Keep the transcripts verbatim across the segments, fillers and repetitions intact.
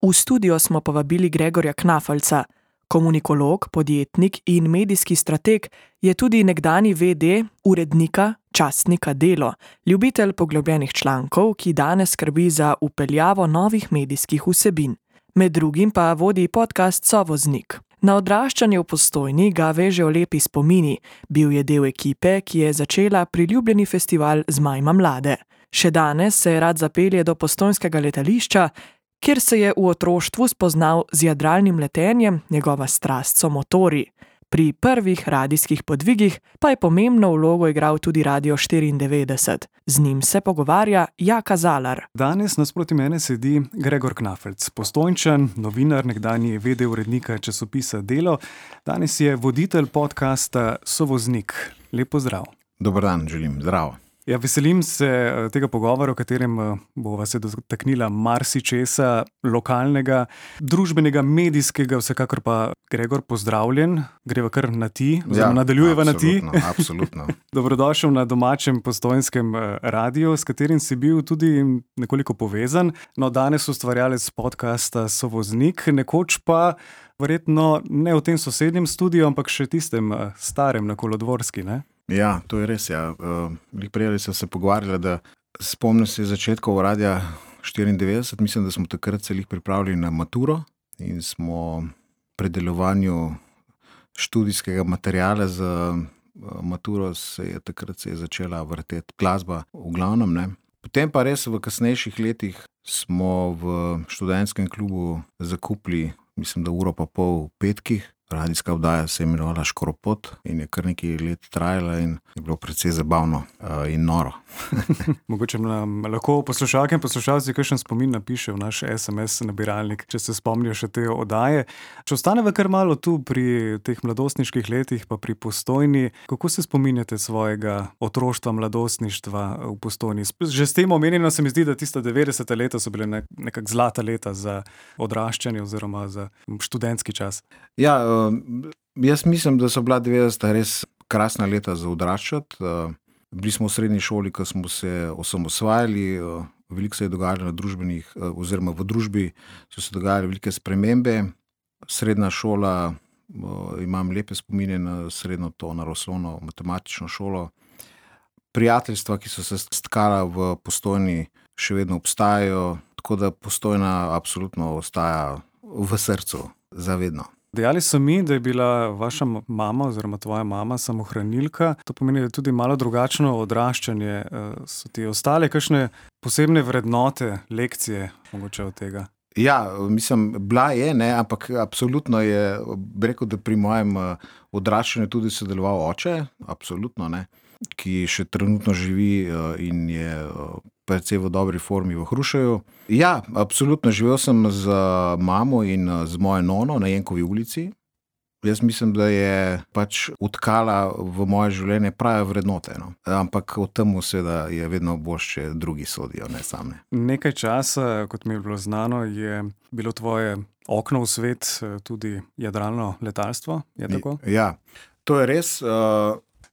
V studio smo povabili Gregorja Knafelca. Komunikolog, podjetnik in medijski strateg, je tudi nekdanji ve de urednika časnika Delo, ljubitelj poglobljenih člankov, ki danes skrbi za vpeljavo novih medijskih vsebin. Med drugim pa vodi podcast Sovoznik. Na odraščanje v Postojni ga vežejo lepi spomini. Bil je del ekipe, ki je začela priljubljeni festival Zmajma mlade. Še danes se rad zapelje do postojnskega letališča, kjer se je v otroštvu spoznal z jadralnim letenjem, njegova strast so motorji. Pri prvih radijskih podvigih pa je pomembno vlogo igral tudi Radio štiriindevetdeset. Z njim se pogovarja Jaka Zalar. Danes nasproti mene sedi Gregor Knafelc, Postojnčan, novinar, nekdanji ve de urednika časopisa Delo. Danes je voditelj podcasta Sovoznik. Lep pozdrav. Dober dan, želim. Zdravo. Ja, veselim se tega pogovora, v katerem bova se dotaknila marsičesa lokalnega, družbenega, medijskega, vsekakor pa Gregor, pozdravljen. Greva kar na ti, oziroma ja, nadaljujeva na ti. Absolutno. Dobrodošel na domačem postojnskem radiju, s katerim si bil tudi nekoliko povezan. No, danes ustvarjalec podcasta Sovoznik, nekoč pa verjetno ne v tem sosednjem studiu, ampak še tistem starem na Kolodvorski, ne? Ja, to je res, ja. Uh, prej so se pogovarjali, da spomnim se začetkov Radia štiriindevetdeset, mislim, da smo takrat se jih pripravili na maturo in smo pri delovanju študijskega materiala za maturo se je takrat se je začela vrteti glasba v glavnem, ne. Potem pa res v kasnejših letih smo v študentskem klubu zakupili, mislim, da uro pa pol v petkih. Radijska oddaja se je imenovala Škoropot in je kar nekaj let trajala in je bilo precej zabavno uh, in noro. Mogoče nam lahko poslušalke in poslušalci kakšen spomin napiše v naš es em es nabiralnik, če se spomnijo še te oddaje. Če ostaneva kar malo tu pri teh mladostniških letih, pa pri Postojni, kako se spominjate svojega otroštva, mladostništva v Postojni? Že s tem omenjeno se mi zdi, da tista devetdeseta leta so bile nekak zlata leta za odraščanje oziroma za študentski čas. Ja, jaz mislim, da so bila devetdeseta res krasna leta za odraščati. Bili smo v srednji šoli, ko smo se osamosvajali, veliko se je dogajalo na družbenih, oziroma v družbi so se dogajale velike spremembe. Srednja šola, imam lepe spomine na srednjo to naravoslovno matematično šolo. Prijateljstva, ki so se stkala v Postojni, še vedno obstajajo, tako da Postojna absolutno ostaja v srcu zavedno. Dejali so mi, da je bila vaša mama oziroma tvoja mama samohranilka. To pomeni, da je tudi malo drugačno odraščanje. So ti ostale kakšne posebne vrednote, lekcije mogoče od tega? Ja, mislim, bila je, ne, ampak absolutno je, rekel, da pri mojem odraščanju tudi sodeloval oče, absolutno, ne, ki še trenutno živi in je precej v dobri formi v Hrušeju. Ja, absolutno, živel sem z mamo in z mojo nono na Jenkovi ulici. Jaz mislim, da je pač utkala v moje življenje prave vrednote, no. Ampak o tem seveda je vedno bolj, če drugi sodijo, ne sam ne. Nekaj časa, kot mi je bilo znano, je bilo tvoje okno v svet tudi jadralno letalstvo, je tako? Ja, to je res.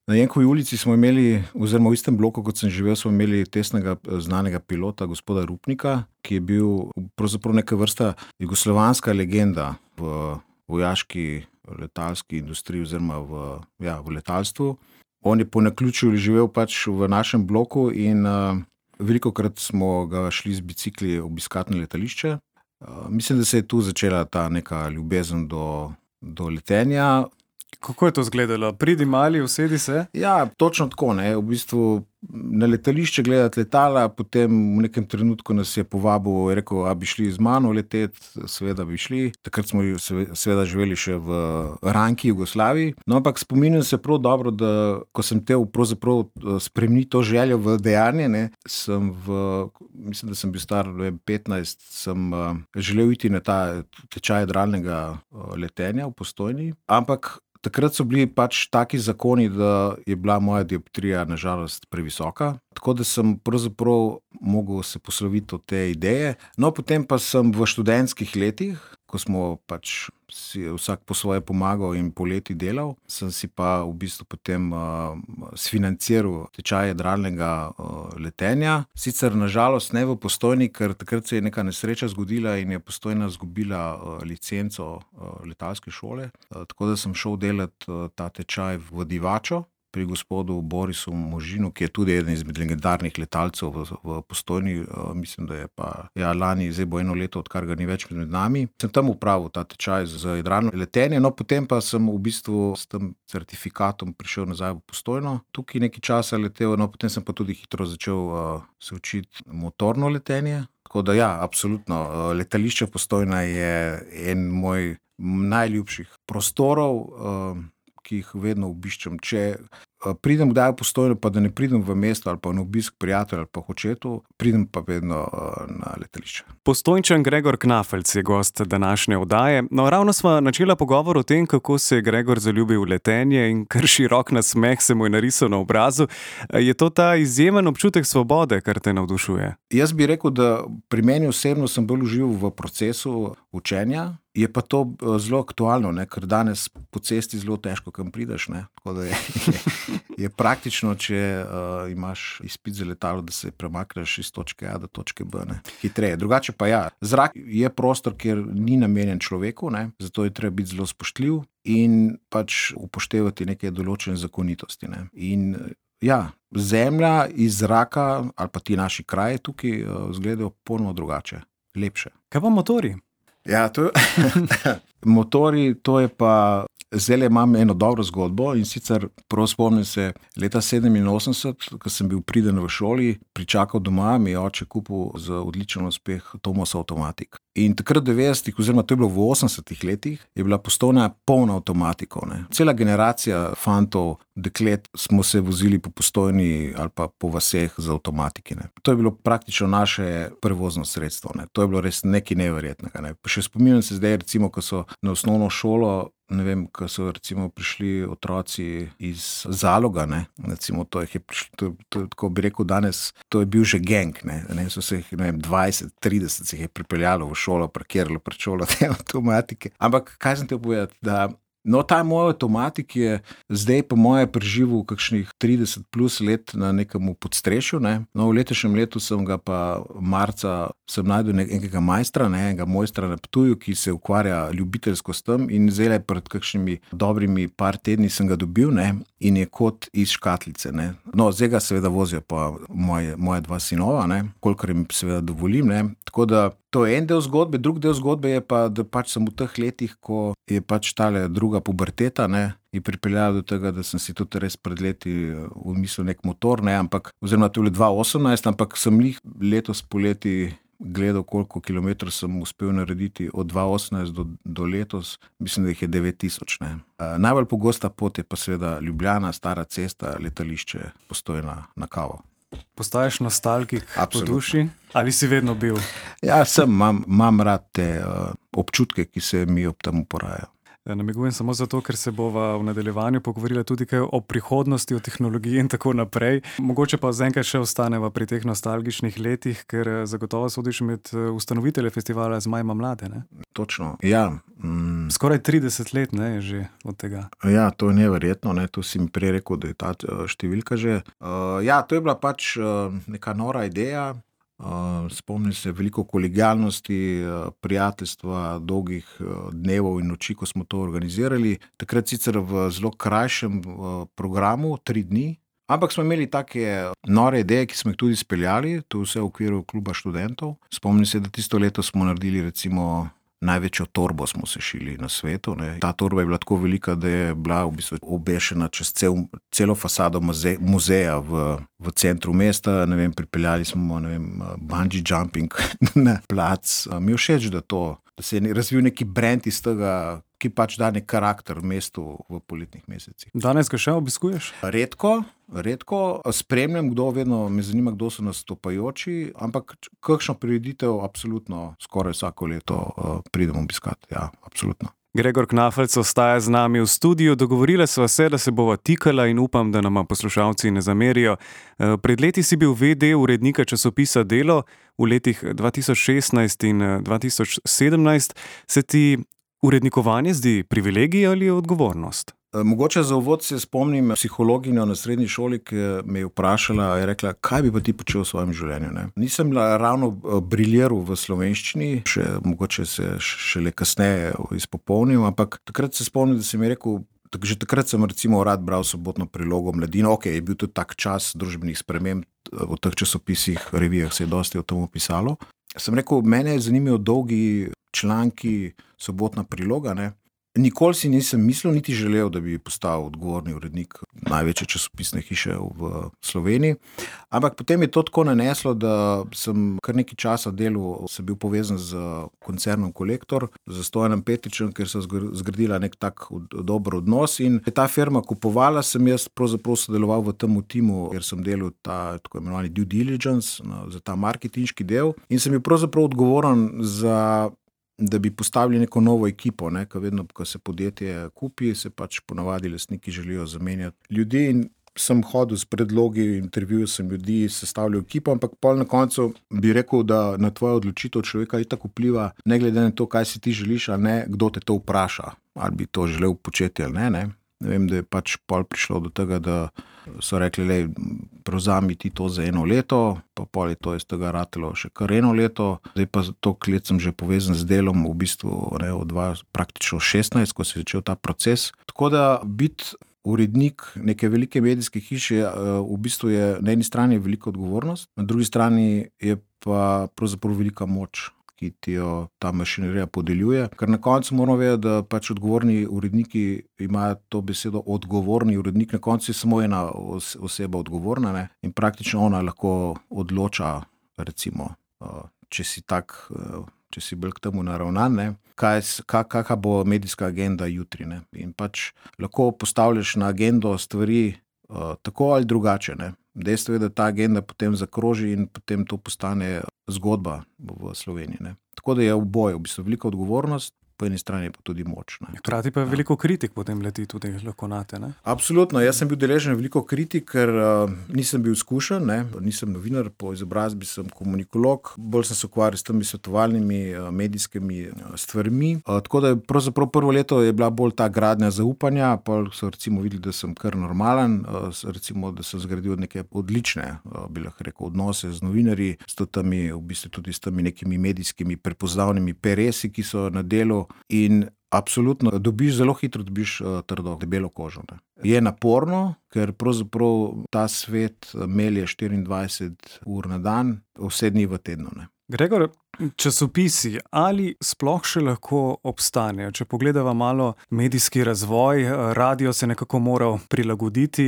Na Jenkovi ulici smo imeli, oziroma v istem bloku, kot sem živel, smo imeli tesnega znanega pilota, gospoda Rupnika, ki je bil pravzaprav neka vrsta jugoslovanska legenda v vojaški letalski industriji oziroma v, ja, v letalstvu. On je po naključju živel pač v našem bloku in uh, velikokrat smo ga šli z bicikli obiskati na letališče. Uh, mislim, da se je tu začela ta neka ljubezen do, do letenja. Kako je to izgledalo? Pridi mali, usedi se? Ja, točno tako, ne. V bistvu na letališče gledati letala, potem v nekem trenutku nas je povabil, je rekel, a bi šli z mano leteti, seveda bi šli. Takrat smo seveda živeli še v Ranki, Jugoslaviji. No, ampak spominjam se prav dobro, da ko sem te pravzaprav spremenil to željo v dejanje, ne, sem v, mislim, da sem bil star petnajst, sem uh, želel iti na ta tečaj jadralnega uh, letenja v Postojni, ampak takrat so bili pač taki zakoni, da je bila moja dioptrija nažalost previsoka, tako da sem pravzaprav mogel se posloviti od te ideje. No, potem pa sem v študentskih letih ko smo pač si vsak po svoje pomagal in poleti delal, sem si pa v bistvu potem uh, sfinanciral tečaj jadralnega uh, letenja. Sicer nažalost ne v Postojni, ker takrat se je neka nesreča zgodila in je Postojna zgubila uh, licenco uh, letalske šole. Uh, tako da sem šel delati uh, ta tečaj v Divačo pri gospodu Borisu Možinu, ki je tudi eden izmed legendarnih letalcev v, v Postojni. Uh, mislim, da je pa ja, lani, zdaj bo eno leto, odkar ga ni več med nami. Sem tam upravil ta tečaj za jadralno letenje, no potem pa sem v bistvu s tem certifikatom prišel nazaj v Postojno. Tukaj nekaj časa letel, no potem sem pa tudi hitro začel uh, se učiti motorno letenje. Tako da ja, absolutno, uh, letališče Postojna je en moj najljubših prostorov, uh, ki jih vedno obiščem. Če pridem kdaj v Postojno, pa da ne pridem v mesto ali pa na obisk prijatelja ali pa hočetu, pridem pa vedno na letališče. Postojnčan Gregor Knafelc je gost današnje oddaje. No, ravno sva načela pogovor o tem, kako se je Gregor zaljubil v letenje in kar širok nasmeh se mu je narisal na obrazu. Je to ta izjemen občutek svobode, kar te navdušuje? Jaz bi rekel, da pri meni osebno sem bolj užival v procesu učenja. Je pa to zelo aktualno, ne? Ker danes po cesti zelo težko kam prideš. Ne? Tako da je, je, je praktično, če uh, imaš izpit za letalo, da se premakneš iz točke A do točke B. Ne? Hitreje. Drugače pa ja, zrak je prostor, kjer ni namenjen človeku, ne? Zato je treba biti zelo spoštljiv in pač upoštevati neke določene zakonitosti. Ne? In ja, zemlja iz zraka ali pa ti naši kraji tukaj uh, izgledajo polno drugače, lepše. Kaj pa motorji? Ja, to je, motori, to je pa, zdaj imam eno dobro zgodbo in sicer prav spomnim se leta sedeminosemdeset, ko sem bil priden v šoli, pričakal doma, mi je oče kupil za odličen uspeh Tomos Automatik. In takrat v devetdesetih, oziroma to je bilo v osemdesetih letih, je bila Postojna polna avtomatikov. Ne. Cela generacija fantov, deklet smo se vozili po Postojni ali pa po vaseh z avtomatiki. Ne. To je bilo praktično naše prevozno sredstvo. Ne. To je bilo res nekaj neverjetnega. Ne. Še spominjam se zdaj, recimo, ko so na osnovno šolo, ne vem, ko so recimo prišli otroci iz Zaloga, ne, recimo to je, to, to, tako bi rekel danes, to je bil že gang, ne, ne so se jih, ne vem, dvajset, trideset se jih je pripeljalo v šolo, parkiralo pred šolo te avtomatike. Ampak kaj sem te povedati, da no, ta moj avtomatik je zdaj po moje preživel kakšnih trideset plus let na nekem podstrešju, ne. No, v letošnjem letu sem ga pa marca, sem najdel nekega majstra, ne, enega mojstra na Ptuju, ki se ukvarja ljubiteljsko s tem in zdaj pred kakšnimi dobrimi par tedni sem ga dobil, ne, in je kot iz škatlice, ne. No, zdaj ga seveda vozijo pa moje, moje dva sinova, ne, kolikor jim seveda dovolim, ne. Tako da to je en del zgodbe, drug del zgodbe je pa, da pač sem v teh letih, ko je pač tale druga puberteta, ne, je pripeljala do tega, da sem si tudi res pred leti umislil nek motor, ne, ampak, oziroma to je bilo dva osemnajst, ampak sem jih letos poleti gledal, koliko kilometrov sem uspel narediti od dva osemnajst do, do letos, mislim, da jih je devet tisoč, ne. Uh, najbolj pogosta pot je pa seveda Ljubljana, Stara cesta, letališče, Postojna na kavo. Postaješ nostalgik po duši? Ali si vedno bil? Ja, sem, imam, imam rad te uh, občutke, ki se mi ob tem porajajo. Namigujem samo zato, ker se bova v nadaljevanju pogovorila tudi kaj o prihodnosti, o tehnologiji in tako naprej. Mogoče pa zaenkrat še ostaneva pri teh nostalgičnih letih, ker zagotovo sodiš med ustanovitelje festivala Zmaj ima mlade, ne? Točno, ja. Mm. Skoraj trideset let, ne, je že od tega. Ja, to je neverjetno, ne, to si mi prej rekel, da je ta številka že. Uh, ja, to je bila pač uh, neka nora ideja. Uh, spomnim se veliko kolegialnosti, uh, prijateljstva, dolgih uh, dnevov in noči, ko smo to organizirali. Takrat sicer v zelo krajšem uh, programu, tri dni, ampak smo imeli take nore ideje, ki smo jih tudi speljali, to vse v okviru kluba študentov. Spomnim se, da tisto leto smo naredili recimo največjo torbo smo se šili na svetu, ne. Ta torba je bila tako velika, da je bila v bistvu obešena čez cel, celo fasado muze, muzeja v, v centru mesta. Ne vem, pripeljali smo, ne vem, bungee jumping na plac. Mi je všeč, da to, da se je razvil neki brand iz tega, ki pač da nek karakter mestu v poletnih mesecih. Danes ga še obiskuješ? Redko, redko. Spremljam, kdo, vedno me zanima, kdo so nastopajoči, ampak kakšno prireditev absolutno skoraj vsako leto uh, pridem obiskati. Ja, absolutno. Gregor Knafelc ostaja z nami v studiu. Dogovorila sva se, da se bova tikala in upam, da nama poslušalci ne zamerijo. Pred leti si bil vede urednika časopisa Delo, v letih dva tisoč šestnajst in dva tisoč sedemnajst. Se ti urednikovanje zdi privilegij ali odgovornost? Mogoče za uvod se spomnim psihologinjo na srednji šoli, ki me je vprašala, je rekla, kaj bi pa ti počel v svojem življenju. Ne? Nisem ravno briljeral v slovenščini, še, mogoče se šele kasneje izpopolnil, ampak takrat se spomnim, da sem je rekel, tak, že takrat sem recimo rad bral Sobotno prilogo, Mladino, ok, je bil tudi tak čas družbenih sprememb, v teh časopisih, revijah se je dosti o tem pisalo. Sem rekel, mene zanimajo dolgi članki, Sobotna priloga, ne? Nikoli si nisem mislil, niti želel, da bi postal odgovorni urednik največje časopisne hiše v Sloveniji. Ampak potem je to tako naneslo, da sem kar nekaj časa delal, sem bil povezan z koncernom Kolektor, z Stojanom Petričem, ker so zgradila nek tak dober odnos in ta firma kupovala, sem jaz pravzaprav sodeloval v tem timu, ker sem delal ta tako imenovani due diligence, za ta marketinški del in sem bil pravzaprav odgovoren za da bi postavili neko novo ekipo, ne, ko vedno, ko se podjetje kupi, se pač ponavadi lastniki želijo zamenjati ljudi in sem hodil s predlogi, intervjujal sem ljudi, sestavljal ekipo, ampak pol na koncu bi rekel, da na tvojo odločitev človeka itak vpliva, ne glede na to, kaj si ti želiš, ali ne, kdo te to vpraša, ali bi to želel početi ali ne, ne. Ne vem, da je pač pol prišlo do tega, da so rekli, lej, prevzami ti to za eno leto, pa pol je to iz tega ratelo še kar eno leto, zdaj pa toliko let sem že povezan z delom, v bistvu ne, od dva, praktično šestnajst, ko se je začel ta proces. Tako da biti urednik neke velike medijske hiše v bistvu je na eni strani velika odgovornost, na drugi strani je pa pravzaprav velika moč, ki ti jo ta mašinerija podeljuje. Ker na koncu moramo vedeti, da pač odgovorni uredniki imajo to besedo odgovorni urednik, na koncu je samo ena oseba odgovorna, ne? In praktično ona lahko odloča, recimo, če si tak, če si bolj k temu naravnan, ne? Kaj, kakva bo medijska agenda jutri, ne? In pač lahko postavljaš na agendo stvari tako ali drugače, ne? Dejstvo je, da ta agenda potem zakroži in potem to postane zgodba v Sloveniji, ne. Tako da je oboje, v bistvu velika odgovornost, po eni strani pa tudi moč. Hkrati pa veliko kritik potem leti tudi lahko nate, ne? Absolutno, jaz sem bil deležen veliko kritik, ker uh, nisem bil izkušen, ne, nisem novinar, po izobrazbi sem komunikolog, bolj sem se ukvarjal s temi svetovalnimi uh, medijskimi uh, stvarmi. Uh, tako da je pravzaprav prvo leto je bila bolj ta gradnja zaupanja, pa so recimo videli, da sem kar normalen, uh, recimo, da sem zgradil neke odlične, uh, bi lahko rekel, odnose z novinarji, s temi, v bistvu tudi s temi nekimi medijskimi prepoznavnimi peresi, ki so na delu. In absolutno dobiš, zelo hitro dobiš uh, trdo, debelo kožo. Ne. Je naporno, ker pravzaprav ta svet melje štiriindvajset ur na dan, vse dni v tednu. Ne. Gregor, časopisi ali sploh še lahko obstanejo? Če pogledava malo medijski razvoj, radio se nekako moral prilagoditi,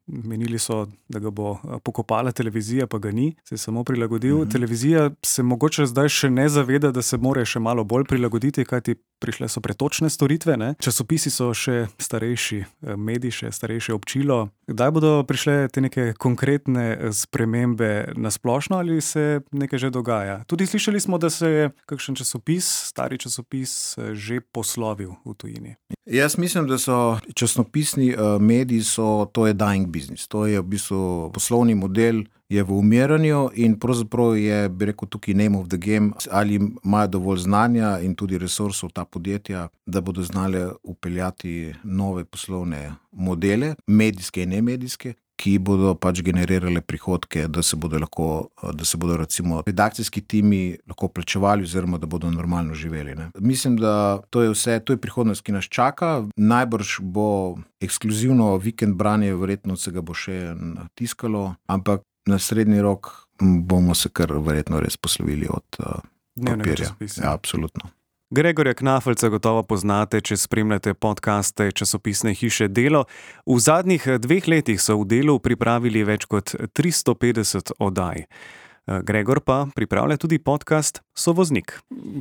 menili so, da ga bo pokopala televizija, pa ga ni, se je samo prilagodil. Mm-hmm. Televizija se mogoče zdaj še ne zaveda, da se more še malo bolj prilagoditi, kajti prišle so pretočne storitve, ne? Časopisi so še starejši medij, še starejše občilo. Kdaj bodo prišle te neke konkretne spremembe na splošno ali se nekaj že dogaja? Tudi slišali smo, da se je kakšen časopis, stari časopis, že poslovil v tujini. Jaz mislim, da so časopisni mediji, so, to je dying business. To je v bistvu poslovni model, je v umiranju in pravzaprav je, bi rekel, tukaj name of the game, ali imajo dovolj znanja in tudi resursov ta podjetja, da bodo znali upeljati nove poslovne modele, medijske in nemedijske, ki bodo pač generirale prihodke, da se bodo lahko, da se bodo recimo redakcijski timi lahko plačevali oziroma da bodo normalno živeli. Ne. Mislim, da to je vse, to je prihodnost, ki nas čaka. Najbrž bo ekskluzivno vikend branje, verjetno se ga bo še natiskalo, ampak na srednji rok bomo se kar verjetno res poslovili od uh, papirja. Ja, absolutno. Gregorja Knafelca gotovo poznate, če spremljate podcaste časopisne hiše Delo. V zadnjih dveh letih so v Delu pripravili več kot tristo petdeset oddaj. Gregor pa pripravlja tudi podcast Sovoznik.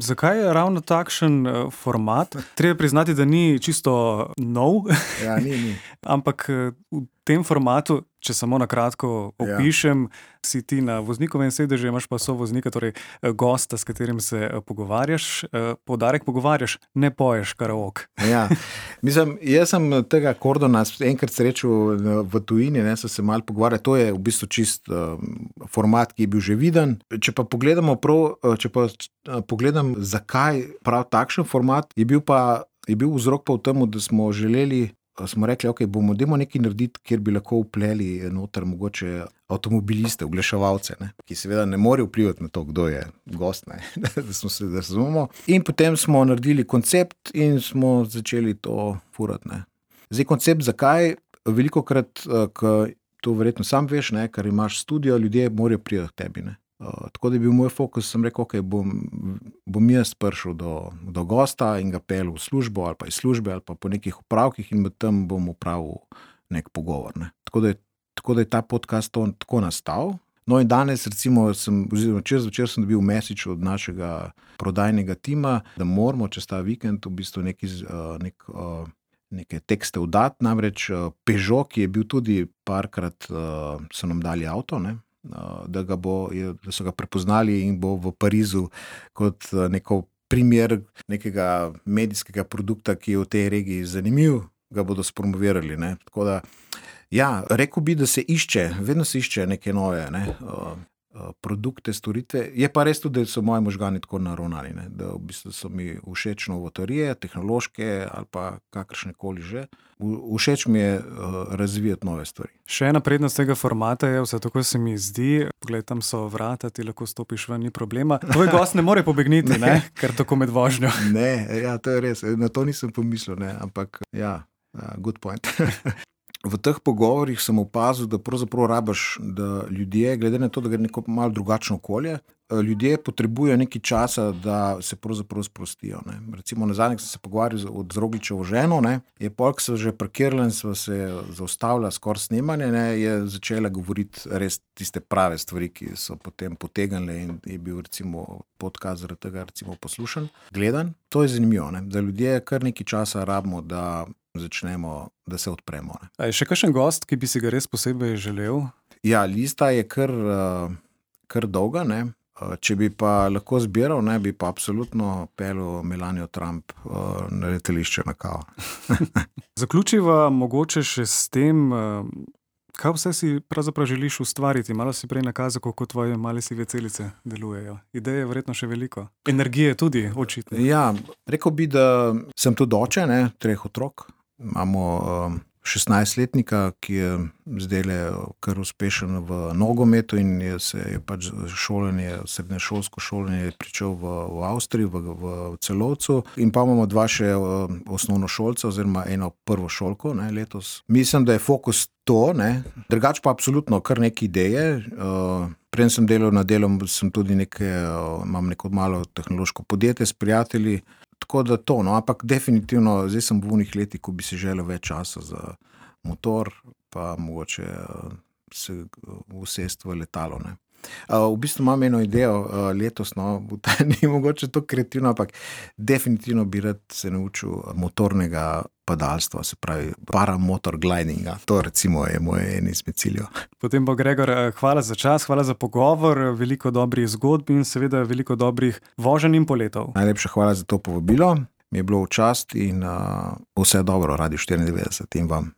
Zakaj je ravno takšen format? Treba priznati, da ni čisto nov. Ja, ni, ni. Ampak v tem formatu, če samo na kratko opišem, ja. Si ti na voznikovem sedežu, imaš pa sovoznika, torej gosta, s katerim se pogovarjaš. Poudarek pogovarjaš, ne poješ karaoke. Ja, mislim, jaz sem tega Kordona enkrat srečal v tujini, ne, sem se malo pogovarjal, to je v bistvu čist uh, format, ki je bil že viden. Če pa pogledamo prav, če pa pogledam, zakaj prav takšen format, je bil pa, je bil vzrok pa v tem, da smo želeli smo rekli, ok, bomo demo nekaj narediti, kjer bi lahko vpleli noter mogoče avtomobiliste, oglaševalce, ne, ki seveda ne morejo vplivati na to, kdo je gost, ne, da smo se razumemo. In potem smo naredili koncept in smo začeli to furati, ne. Zdaj, koncept zakaj? Velikokrat, ko to verjetno sam veš, ne, ker imaš studio, ljudje morajo priti k tebi, ne. Uh, tako da je bil moj fokus, sem rekel, ok, bom, bom jaz prišel do, do gosta in ga pel v službo ali pa iz službe ali pa po nekih upravkih in med tem bom upravil nek pogovor. Ne. Tako, da je, tako da je ta podcast to, tako nastal. No in danes recimo sem, oziroma čez večer sem dobil message od našega prodajnega tima, da moramo čez ta vikend v bistvu neki, uh, nek, uh, neke tekste vdati, namreč uh, Peugeot, ki je bil tudi parkrat, uh, so nam dali avto, ne. Da, ga bo, da so ga prepoznali in bo v Parizu kot neko primer nekega medijskega produkta, ki je v tej regiji zanimiv, ga bodo spromovirali. Ne. Tako da, ja, rekel bi, da se išče, vedno se išče neke nove ne, produkte, storitve. Je pa res tudi, da so moji možgani tako naravnani, ne, da v bistvu so mi všeč novotarije, tehnološke ali pa kakršne koli že. Všeč mi je uh, razvijati nove stvari. Še ena prednost tega formata je, vse tako se mi zdi, pogled, tam so vrata, ti lahko stopiš ven, ni problema. Tvoj gost ne more pobegniti, ne, ne? Ker tako med vožnjo. Ne, ja, to je res, na to nisem pomislil, ne, ampak ja, uh, good point. V teh pogovorih sem opazil, da pravzaprav rabaš, da ljudje, glede na to, da gre neko malo drugačno okolje, ljudje potrebujejo nekaj časa, da se pravzaprav sprostijo. Ne. Recimo na zadnjih sem se pogovarjal z Rogličevo ženo, ne, je polk se že parkirala in sva se zaustavila skoraj snemanje, ne, je začela govoriti res tiste prave stvari, ki so potem potegnile in je bil recimo podcast zaradi tega recimo poslušan, gledan. To je zanimivo, ne, da ljudje kar nekaj časa rabimo, da začnemo, da se odpremo. Ne. A je še kakšen gost, ki bi si ga res posebej želel? Ja, lista je kar, kar dolga, ne. Če bi pa lahko zbiral, ne, bi pa absolutno pelil Melanijo Trump na letališče na kavo. Zaključiva mogoče še s tem, kaj vse si pravzaprav želiš ustvariti. Malo si prej nakazal, kako tvoje male sive celice delujejo. Ideje je verjetno še veliko. Energije tudi, očitno. Ja, rekel bi, da sem tudi oče, ne, treh otrok. Imamo um, šestnajstletnika, ki je zdajle kar uspešen v nogometu in je se je pač šolanje, srednješolsko šolanje pričel v, v Avstriji, v, v Celovcu. In pa imamo dva še um, osnovnošolca oziroma eno prvošolko, ne, letos. Mislim, da je fokus to, ne. Drugač pa absolutno kar neke ideje. Uh, Preden sem delal na delom, sem tudi neke, uh, imam neko malo tehnološko podjetje s prijatelji. Tako da to, no, ampak definitivno, zdaj sem v unih letih, ko bi si želel več časa za motor, pa mogoče uh, se usest v letalo, ne. Uh, v bistvu imam eno idejo uh, letos, no, ni mogoče to kreativno, ampak definitivno bi rad se naučil motornega padalstva, se pravi paramotor glidinga. To recimo je moje eno izmed ciljev. Potem bo Gregor, hvala za čas, hvala za pogovor, veliko dobrih zgodb in seveda veliko dobrih voženj in poletov. Najlepša hvala za to povabilo, mi je bilo v čast in uh, vse dobro, Radio štiriindevetdeset in vam.